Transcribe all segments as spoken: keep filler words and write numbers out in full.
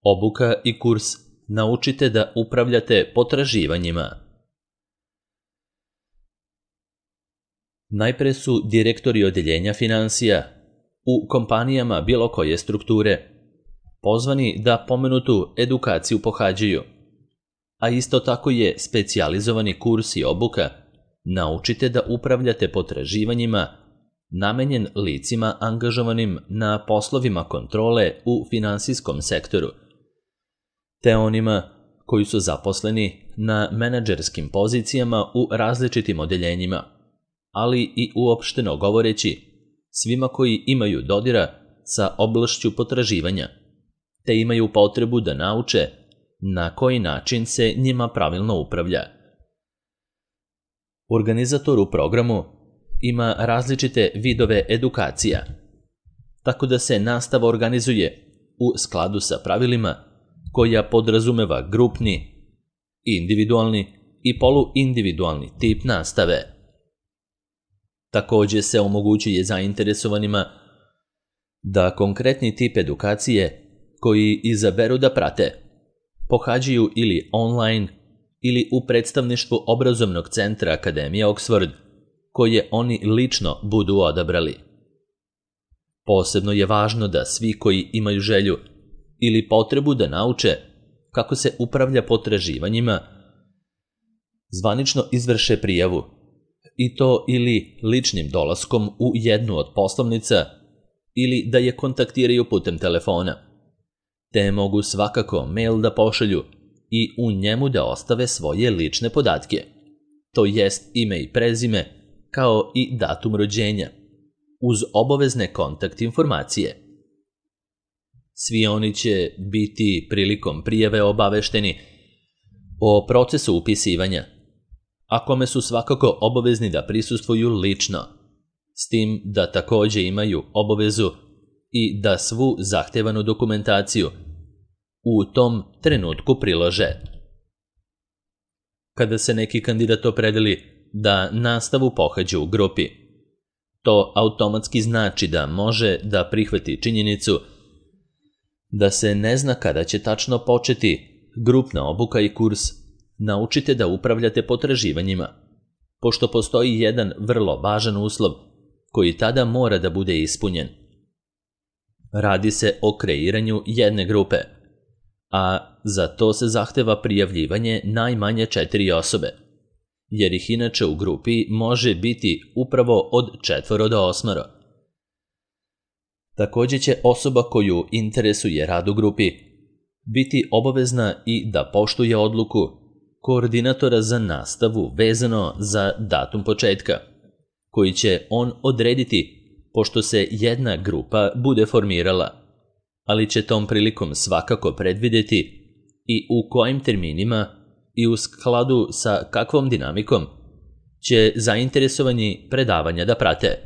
Obuka i kurs Naučite da upravljate potraživanjima. Najpre su direktori odeljenja finansija u kompanijama bilo koje strukture pozvani da pomenutu edukaciju pohađaju, a isto tako je specijalizovani kurs i obuka Naučite da upravljate potraživanjima namenjen licima angažovanim na poslovima kontrole u finansijskom sektoru, te onima koji su zaposleni na menadžerskim pozicijama u različitim odeljenjima, ali i uopšteno govoreći svima koji imaju dodira sa oblašću potraživanja, te imaju potrebu da nauče na koji način se njima pravilno upravlja. Organizator u programu ima različite vidove edukacija, tako da se nastava organizuje u skladu sa pravilima koja podrazumeva grupni, individualni i poluindividualni tip nastave. Takođe se omogućuje zainteresovanima da konkretni tip edukacije koji izaberu da prate pohađaju ili online ili u predstavništvu obrazovnog centra Akademije Oxford, koje oni lično budu odabrali. Posebno je važno da svi koji imaju želju ili potrebu da nauče kako se upravlja potraživanjima zvanično izvrše prijavu, i to ili ličnim dolaskom u jednu od poslovnica ili da je kontaktiraju putem telefona, te mogu svakako mail da pošalju i u njemu da ostave svoje lične podatke, to jest ime i prezime, kao i datum rođenja, uz obavezne kontakt informacije. Svi oni će biti prilikom prijave obavešteni o procesu upisivanja, a kome su svakako obavezni da prisustvuju lično, s tim da takođe imaju obavezu i da svu zahtevanu dokumentaciju u tom trenutku prilože. Kada se neki kandidat opredeli da nastavu pohađa u grupi, to automatski znači da može da prihvati činjenicu da se ne zna kada će tačno početi grupna obuka i kurs Naučite da upravljate potraživanjima, pošto postoji jedan vrlo važan uslov koji tada mora da bude ispunjen. Radi se o kreiranju jedne grupe, a za to se zahteva prijavljivanje najmanje četiri osobe, jer ih inače u grupi može biti upravo od četvoro do osmoro. Takođe će osoba koju interesuje rad u grupi biti obavezna i da poštuje odluku koordinatora za nastavu vezano za datum početka, koji će on odrediti pošto se jedna grupa bude formirala, ali će tom prilikom svakako predvideti i u kojim terminima i u skladu sa kakvom dinamikom će zainteresovani predavanja da prate.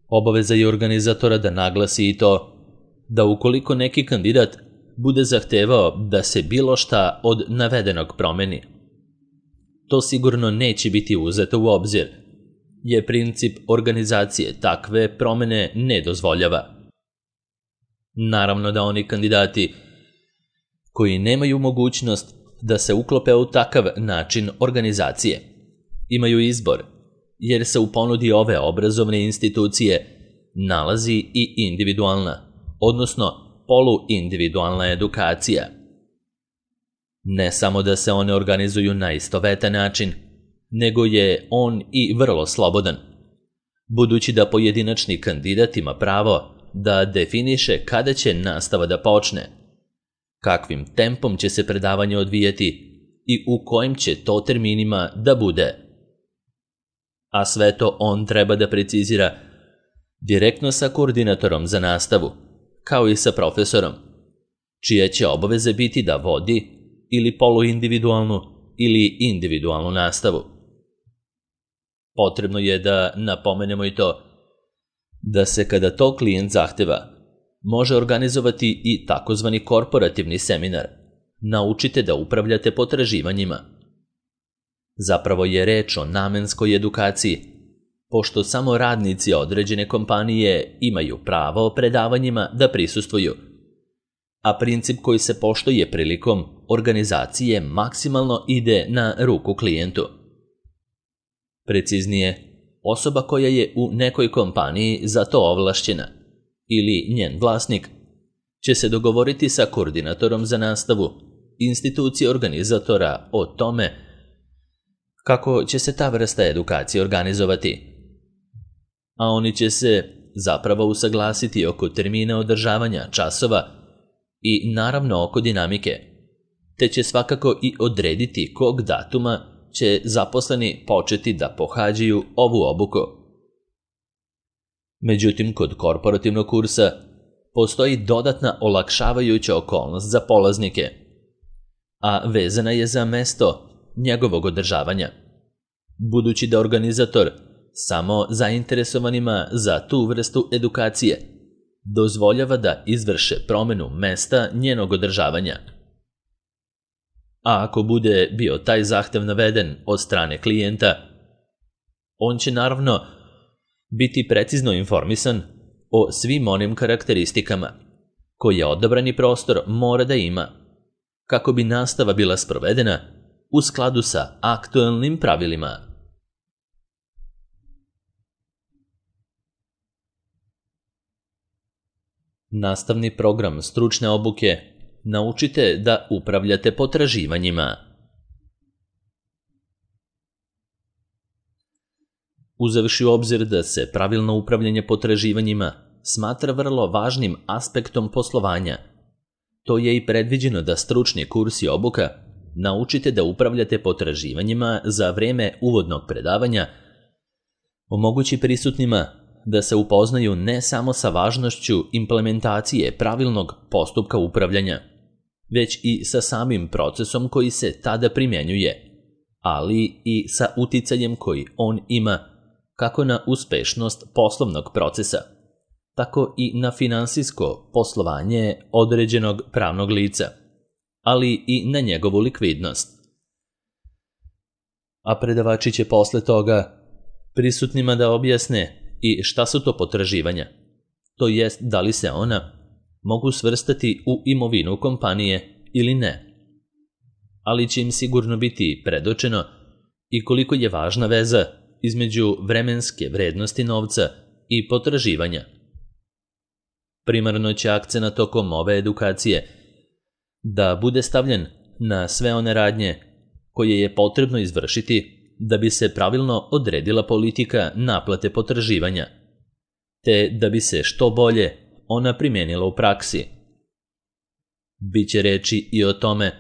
Obaveza je organizatora da naglasi i to da ukoliko neki kandidat bude zahtevao da se bilo šta od navedenog promeni, to sigurno neće biti uzeto u obzir, jer princip organizacije takve promene ne dozvoljava. Naravno da oni kandidati koji nemaju mogućnost da se uklope u takav način organizacije imaju izbor, jer se u ponudi ove obrazovne institucije nalazi i individualna, odnosno poluindividualna edukacija. Ne samo da se one organizuju na istovetan način, nego je on i vrlo slobodan, budući da pojedinačni kandidat ima pravo da definiše kada će nastava da počne, kakvim tempom će se predavanje odvijati i u kojim će to terminima da bude. A sve to on treba da precizira direktno sa koordinatorom za nastavu, kao i sa profesorom, čije će obaveze biti da vodi ili poluindividualnu ili individualnu nastavu. Potrebno je da napomenemo i to da se kada to klijent zahteva, može organizovati i takozvani korporativni seminar Naučite da upravljate potraživanjima. Zapravo je reč o namenskoj edukaciji, pošto samo radnici određene kompanije imaju pravo predavanjima da prisustvuju, a princip koji se poštuje prilikom organizacije maksimalno ide na ruku klijentu. Preciznije, osoba koja je u nekoj kompaniji za to ovlašćena ili njen vlasnik će se dogovoriti sa koordinatorom za nastavu, institucije organizatora o tome kako će se ta vrsta edukacije organizovati. A oni će se zapravo usaglasiti oko termina održavanja časova i naravno oko dinamike, te će svakako i odrediti kog datuma će zaposleni početi da pohađaju ovu obuku. Međutim, kod korporativnog kursa postoji dodatna olakšavajuća okolnost za polaznike, a vezana je za mesto njegovog održavanja, budući da organizator samo zainteresovanima za tu vrstu edukacije dozvoljava da izvrše promenu mesta njenog održavanja. A ako bude bio taj zahtev naveden od strane klijenta, on će naravno biti precizno informisan o svim onim karakteristikama koje odabrani prostor mora da ima, kako bi nastava bila sprovedena u skladu sa aktuelnim pravilima. Nastavni program stručne obuke naučite da upravljate potraživanjima. Uzevši u obzir da se pravilno upravljanje potraživanjima smatra vrlo važnim aspektom poslovanja, to je i predviđeno da stručni kurs i obuka naučite da upravljate potraživanjima za vreme uvodnog predavanja omogući prisutnima da se upoznaju ne samo sa važnošću implementacije pravilnog postupka upravljanja, već i sa samim procesom koji se tada primjenjuje, ali i sa uticajem koji on ima kako na uspešnost poslovnog procesa, tako i na finansijsko poslovanje određenog pravnog lica, ali i na njegovu likvidnost. A predavači će posle toga prisutnima da objasne i šta su to potraživanja, to jest da li se ona mogu svrstati u imovinu kompanije ili ne, ali će im sigurno biti predočeno i koliko je važna veza između vremenske vrednosti novca i potraživanja. Primarno će akcenat tokom ove edukacije da bude stavljen na sve one radnje koje je potrebno izvršiti da bi se pravilno odredila politika naplate potraživanja, te da bi se što bolje ona primijenila u praksi. Biće reči i o tome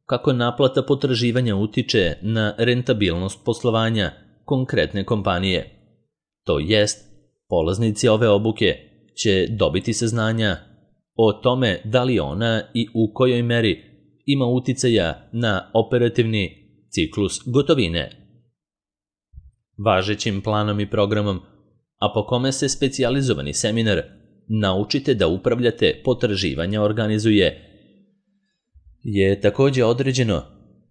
kako naplata potraživanja utiče na rentabilnost poslovanja konkretne kompanije. To jest, polaznici ove obuke će dobiti saznanja o tome da li ona i u kojoj meri ima uticaja na operativni ciklus gotovine. Važećim planom i programom, a po kome se specijalizovani seminar naučite da upravljate potraživanja organizuje, je također određeno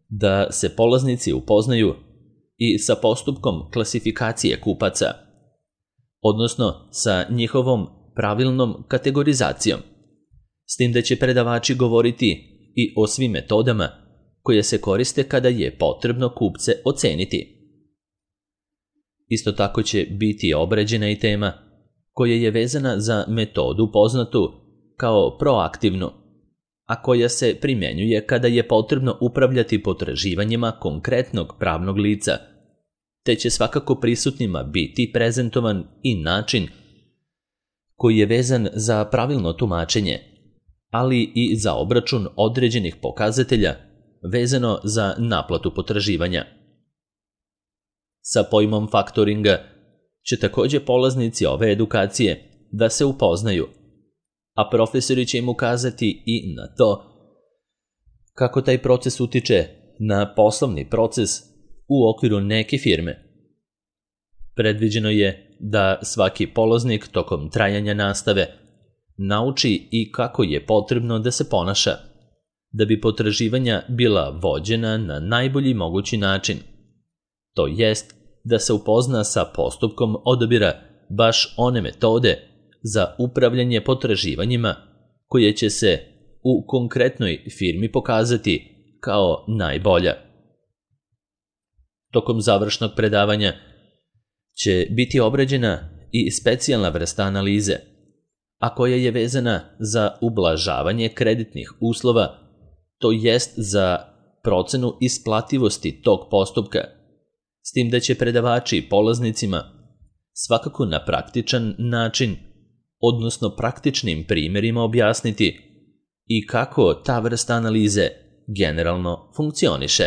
da se polaznici upoznaju i sa postupkom klasifikacije kupaca, odnosno sa njihovom pravilnom kategorizacijom, s tim da će predavači govoriti i o svim metodama koje se koriste kada je potrebno kupce oceniti. Isto tako će biti obrađena i tema koja je vezana za metodu poznatu kao proaktivnu, a koja se primjenjuje kada je potrebno upravljati potraživanjima konkretnog pravnog lica, te će svakako prisutnima biti prezentovan i način koji je vezan za pravilno tumačenje, ali i za obračun određenih pokazatelja vezano za naplatu potraživanja. Sa pojmom faktoringa će također polaznici ove edukacije da se upoznaju, a profesori će im ukazati i na to kako taj proces utiče na poslovni proces u okviru neke firme. Predviđeno je da svaki polaznik tokom trajanja nastave nauči i kako je potrebno da se ponaša, da bi potraživanja bila vođena na najbolji mogući način. To jest da se upozna sa postupkom odabira baš one metode za upravljanje potraživanjima koje će se u konkretnoj firmi pokazati kao najbolja. Tokom završnog predavanja će biti obrađena i specijalna vrsta analize, a koja je vezana za ublažavanje kreditnih uslova, to jest za procenu isplativosti tog postupka, s tim da će predavači polaznicima svakako na praktičan način, odnosno praktičnim primjerima objasniti i kako ta vrsta analize generalno funkcioniše.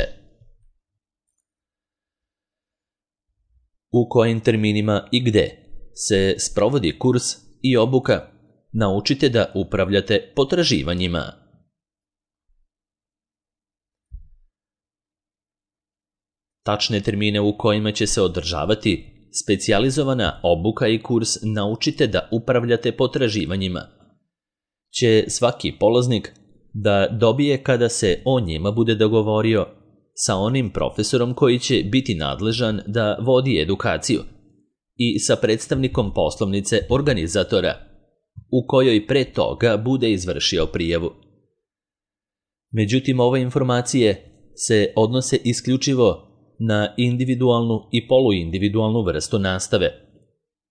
U kojim terminima i gde se sprovodi kurs i obuka, naučite da upravljate potraživanjima. Tačne termine u kojima će se održavati specijalizovana obuka i kurs naučite da upravljate potraživanjima će svaki polaznik da dobije kada se o njima bude dogovorio sa onim profesorom koji će biti nadležan da vodi edukaciju i sa predstavnikom poslovnice organizatora, u kojoj pre toga bude izvršio prijavu. Međutim, ove informacije se odnose isključivo na individualnu i poluindividualnu vrstu nastave,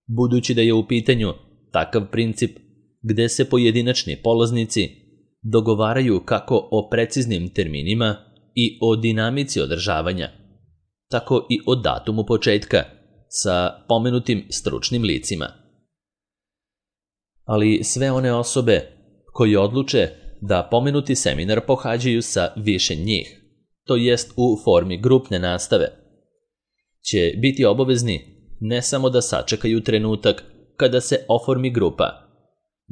budući da je u pitanju takav princip gde se pojedinačni polaznici dogovaraju kako o preciznim terminima i o dinamici održavanja, tako i o datumu početka sa pomenutim stručnim licima. Ali sve one osobe koji odluče da pomenuti seminar pohađaju sa više njih, to jest u formi grupne nastave, će biti obavezni ne samo da sačekaju trenutak kada se oformi grupa,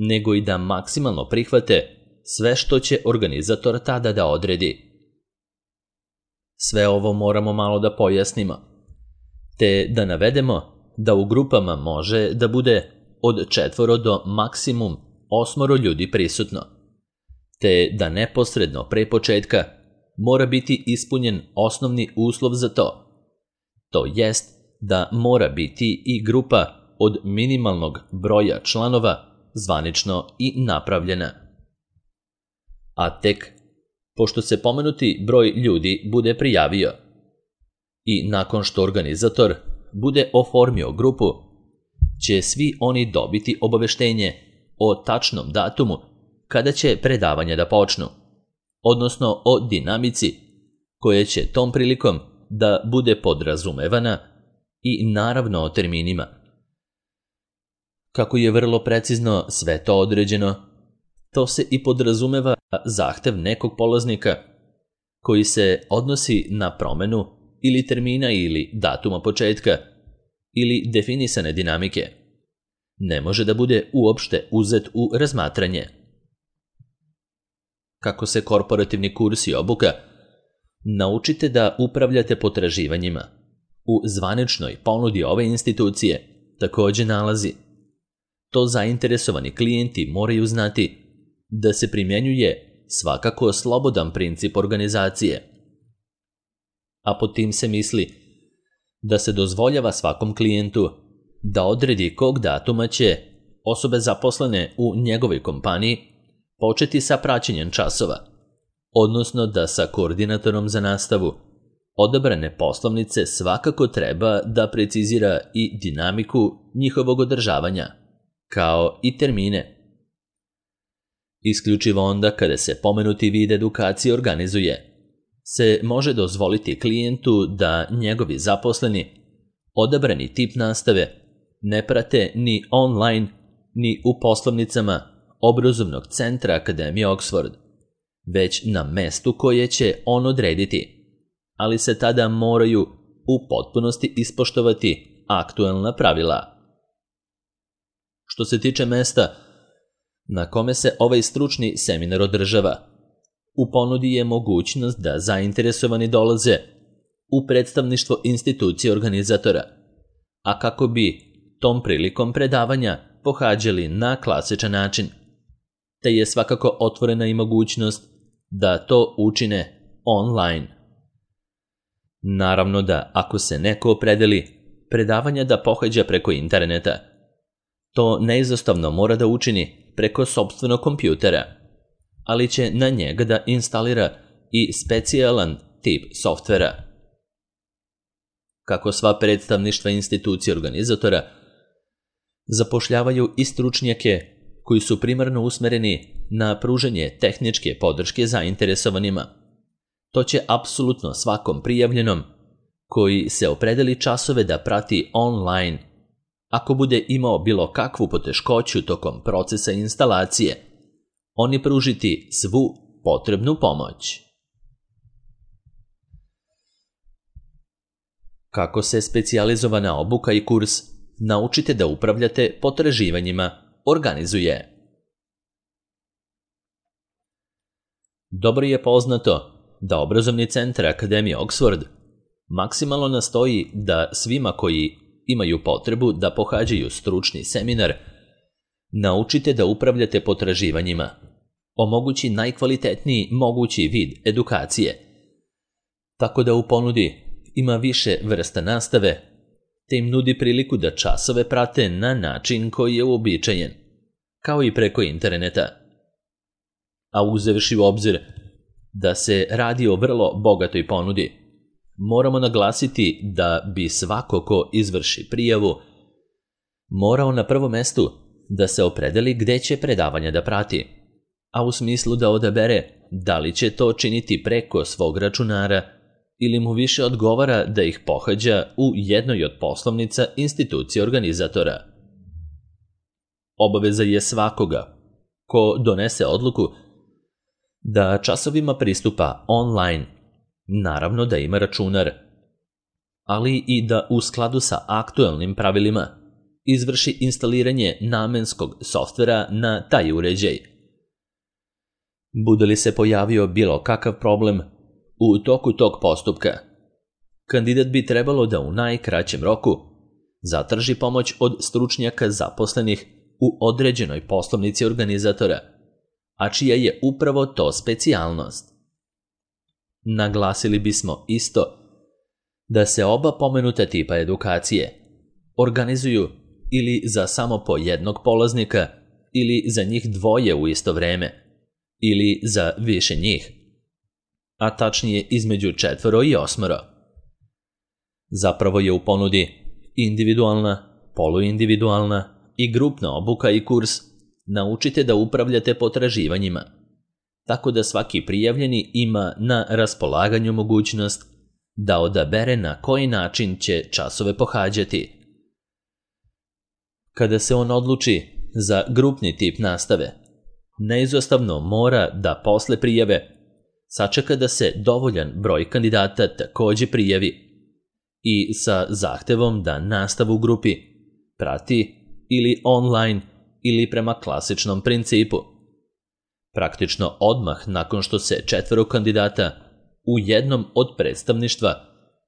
nego i da maksimalno prihvate sve što će organizator tada da odredi. Sve ovo moramo malo da pojasnimo, te da navedemo da u grupama može da bude od četvoro do maksimum osmoro ljudi prisutno, te da neposredno pre početka mora biti ispunjen osnovni uslov za to, to jest da mora biti i grupa od minimalnog broja članova zvanično i napravljena. A tek, pošto se pomenuti broj ljudi bude prijavio i nakon što organizator bude oformio grupu, će svi oni dobiti obaveštenje o tačnom datumu kada će predavanja da počnu, odnosno o dinamici koja će tom prilikom da bude podrazumevana i naravno o terminima. Kako je vrlo precizno sve to određeno, to se i podrazumeva zahtev nekog polaznika koji se odnosi na promenu ili termina ili datuma početka ili definisane dinamike. Ne može da bude uopšte uzet u razmatranje. Kako se korporativni kurs i obuka naučite da upravljate potraživanjima u zvaničnoj ponudi ove institucije također nalazi. To zainteresovani klijenti moraju znati da se primjenjuje svakako slobodan princip organizacije. A pod tim se misli da se dozvoljava svakom klijentu da odredi kog datuma će osobe zaposlene u njegovoj kompaniji početi sa praćenjem časova, odnosno da sa koordinatorom za nastavu odabrane poslovnice svakako treba da precizira i dinamiku njihovog održavanja, kao i termine. Isključivo onda kada se pomenuti vid edukacije organizuje, se može dozvoliti klijentu da njegovi zaposleni odabrani tip nastave ne prate ni online, ni u poslovnicama obrazovnog centra Akademije Oxford, već na mestu koje će on odrediti, ali se tada moraju u potpunosti ispoštovati aktuelna pravila. Što se tiče mesta na kome se ovaj stručni seminar održava, u ponudi je mogućnost da zainteresovani dolaze u predstavništvo institucije organizatora, a kako bi tom prilikom predavanja pohađali na klasičan način, te je svakako otvorena i mogućnost da to učine online. Naravno da ako se neko opredeli predavanja da pohađa preko interneta, to neizostavno mora da učini preko sopstvenog kompjutera, ali će na njega da instalira i specijalan tip softvera. Kako sva predstavništva institucije organizatora zapošljavaju i stručnjake koji su primarno usmereni na pružanje tehničke podrške zainteresovanima, to će apsolutno svakom prijavljenom koji se opredeli časove da prati online, ako bude imao bilo kakvu poteškoću tokom procesa instalacije, oni pružiti svu potrebnu pomoć. Kako se specijalizovana obuka i kurs Naučite da upravljate potraživanjima organizuje. Dobro je poznato da obrazovni centar Akademije Oxford maksimalno nastoji da svima koji imaju potrebu da pohađaju stručni seminar Naučite da upravljate potraživanjima omogući najkvalitetniji mogući vid edukacije, tako da u ponudi ima više vrsta nastave, te im nudi priliku da časove prate na način koji je uobičajen, kao i preko interneta. A uzevši u obzir da se radi o vrlo bogatoj ponudi, moramo naglasiti da bi svako ko izvrši prijavu morao na prvom mestu da se opredeli gde će predavanja da prati, a u smislu da odabere da li će to činiti preko svog računara ili mu više odgovara da ih pohađa u jednoj od poslovnica institucije organizatora. Obaveza je svakoga ko donese odluku da časovima pristupa online, naravno da ima računar, ali i da u skladu sa aktuelnim pravilima izvrši instaliranje namenskog softvera na taj uređaj. Bude li se pojavio bilo kakav problem u toku tog postupka, kandidat bi trebalo da u najkraćem roku zatraži pomoć od stručnjaka zaposlenih u određenoj poslovnici organizatora, a čija je upravo to specijalnost. Naglasili bismo isto da se oba pomenuta tipa edukacije organizuju ili za samo po jednog polaznika ili za njih dvoje u isto vreme ili za više njih, a tačnije između četvoro i osmoro. Zapravo je u ponudi individualna, poluindividualna i grupna obuka i kurs Naučite da upravljate potraživanjima, tako da svaki prijavljeni ima na raspolaganju mogućnost da odabere na koji način će časove pohađati. Kada se on odluči za grupni tip nastave, neizostavno mora da posle prijave sačeka da se dovoljan broj kandidata takođe prijavi i sa zahtevom da nastavu u grupi prati ili online ili prema klasičnom principu. Praktično odmah nakon što se četvoro kandidata u jednom od predstavništva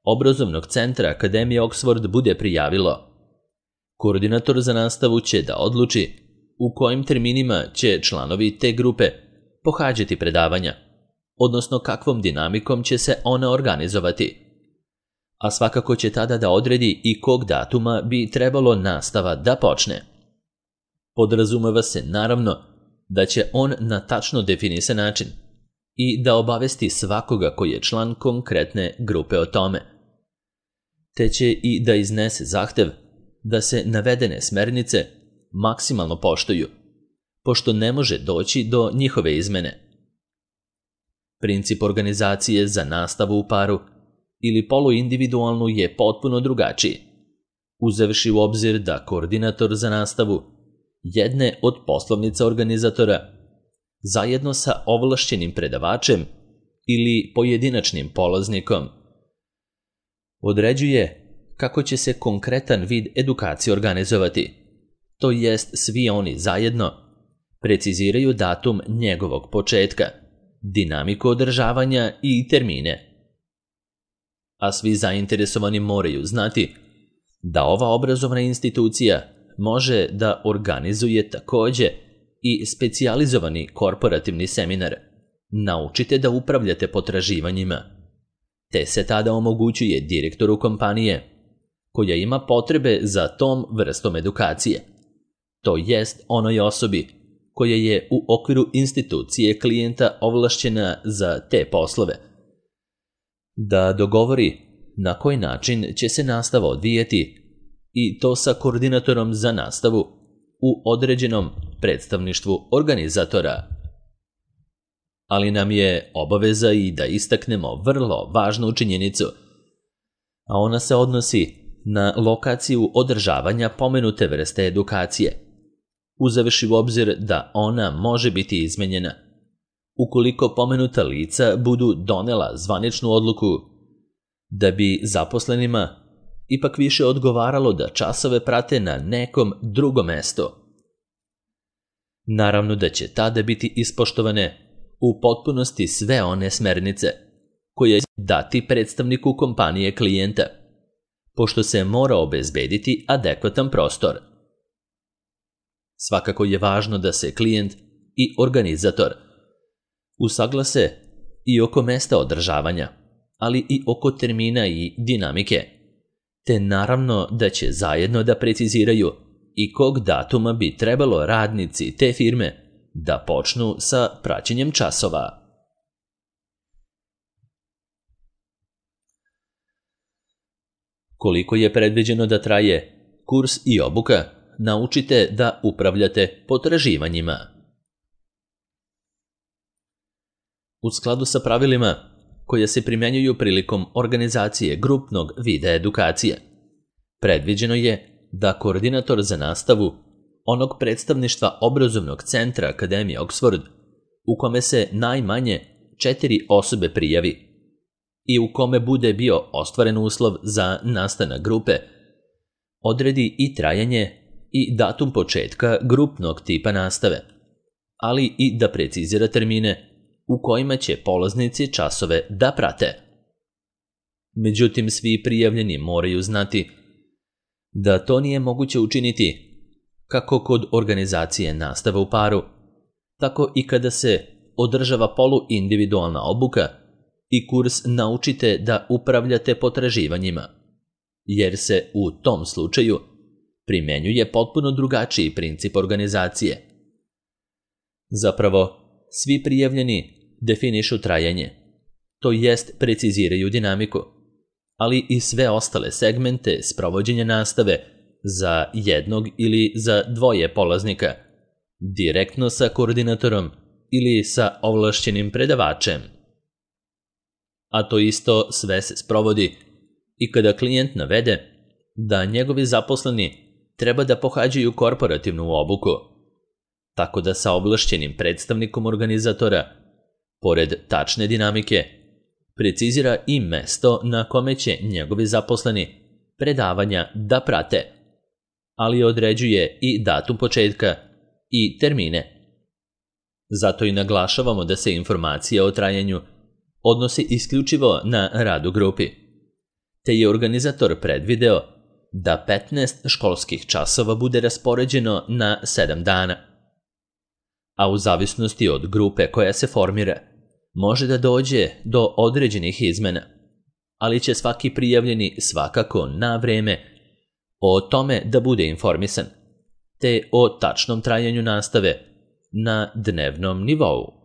obrazovnog centra Akademije Oxford bude prijavilo, koordinator za nastavu će da odluči u kojim terminima će članovi te grupe pohađati predavanja, odnosno kakvom dinamikom će se ona organizovati. A svakako će tada da odredi i kog datuma bi trebalo nastava da počne. Podrazumeva se naravno da će on na tačno definisan način i da obavesti svakoga koji je član konkretne grupe o tome. Te će i da iznese zahtev da se navedene smernice maksimalno poštuju, pošto ne može doći do njihove izmene. Princip organizacije za nastavu u paru ili poluindividualnu je potpuno drugačiji, uzevši u obzir da koordinator za nastavu jedne od poslovnica organizatora zajedno sa ovlašćenim predavačem ili pojedinačnim polaznikom određuje kako će se konkretan vid edukacije organizovati, to jest svi oni zajedno preciziraju datum njegovog početka, dinamiku održavanja i termine. A svi zainteresovani moraju znati da ova obrazovna institucija može da organizuje takođe i specijalizovani korporativni seminar Naučite da upravljate potraživanjima, te se tada omogućuje direktoru kompanije koja ima potrebe za tom vrstom edukacije, to jest onoj osobi koja je u okviru institucije klijenta ovlašćena za te poslove, da dogovori na koji način će se nastava odvijeti i to sa koordinatorom za nastavu u određenom predstavništvu organizatora. Ali nam je obaveza i da istaknemo vrlo važnu činjenicu, a ona se odnosi na lokaciju održavanja pomenute vrste edukacije, uzevši u obzir da ona može biti izmenjena ukoliko pomenuta lica budu donela zvaničnu odluku da bi zaposlenima ipak više odgovaralo da časove prate na nekom drugom mestu. Naravno da će tada biti ispoštovane u potpunosti sve one smernice koje će dati predstavniku kompanije klijenta, pošto se mora obezbediti adekvatan prostor. Svakako je važno da se klijent i organizator usaglase i oko mesta održavanja, ali i oko termina i dinamike, te naravno da će zajedno da preciziraju i kog datuma bi trebalo radnici te firme da počnu sa praćenjem časova. Koliko je predviđeno da traje kurs i obuka, naučite da upravljate potraživanjima. U skladu sa pravilima koja se primjenjuju prilikom organizacije grupnog vida edukacije, predviđeno je da koordinator za nastavu onog predstavništva obrazovnog centra Akademije Oxford, u kome se najmanje četiri osobe prijavi i u kome bude bio ostvaren uslov za nastanak grupe, odredi i trajanje i datum početka grupnog tipa nastave, ali i da precizira termine u kojima će polaznici časove da prate. Međutim, svi prijavljeni moraju znati da to nije moguće učiniti kako kod organizacije nastave u paru, tako i kada se održava poluindividualna obuka i kurs Naučite da upravljate potraživanjima, jer se u tom slučaju primjenjuje potpuno drugačiji princip organizacije. Zapravo, svi prijavljeni definišu trajanje, to jest preciziraju dinamiku, ali i sve ostale segmente sprovođenja nastave za jednog ili za dvoje polaznika, direktno sa koordinatorom ili sa ovlašćenim predavačem. A to isto sve se sprovodi i kada klijent navede da njegovi zaposleni treba da pohađaju korporativnu obuku, tako da sa ovlašćenim predstavnikom organizatora, pored tačne dinamike, precizira i mesto na kome će njegovi zaposleni predavanja da prate, ali određuje i datum početka i termine. Zato i naglašavamo da se informacija o trajanju odnosi isključivo na rad u grupi, te je organizator predvideo da petnaest školskih časova bude raspoređeno na sedam dana, a u zavisnosti od grupe koja se formira, može da dođe do određenih izmena, ali će svaki prijavljeni svakako na vreme o tome da bude informisan, te o tačnom trajanju nastave na dnevnom nivou.